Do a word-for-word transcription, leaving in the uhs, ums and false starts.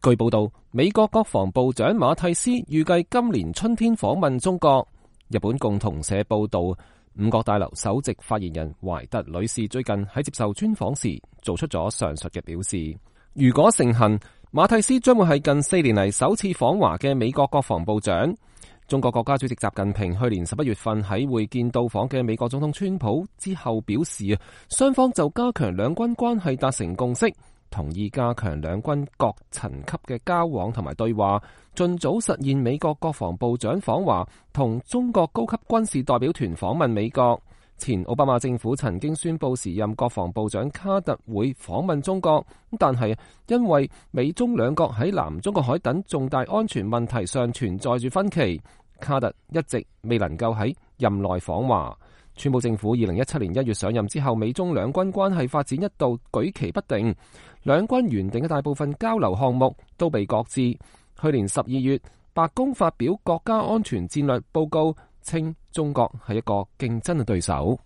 據報道，美國國防部長馬蒂斯預計今年春天訪問中國。日本共同社報道，五角大樓首席發言人懷特女士最近喺接受專訪時做出咗上述嘅表示。如果成行，馬蒂斯將會係近四年嚟首次訪華嘅美國國防部長。中國國家主席習近平去年十一月份喺會見到訪嘅美國總統川普之後表示，雙方就加強兩軍關係達成共識，同意加強兩軍各層級嘅交往同埋對話，盡早實現美國國防部長訪華同中國高級軍事代表團訪問美國。前奧巴馬政府曾經宣布時任國防部長卡特會訪問中國，但係因為美中兩國喺南中國海等重大安全問題上存在住分歧，卡特一直未能夠喺任內訪華。川普政府二零一七年一月上任之後，美中兩軍關係發展一度舉棋不定，兩軍原定嘅大部分交流項目都被擱置。去年十二月，白宮發表國家安全戰略報告，稱中國係一個競爭嘅對手。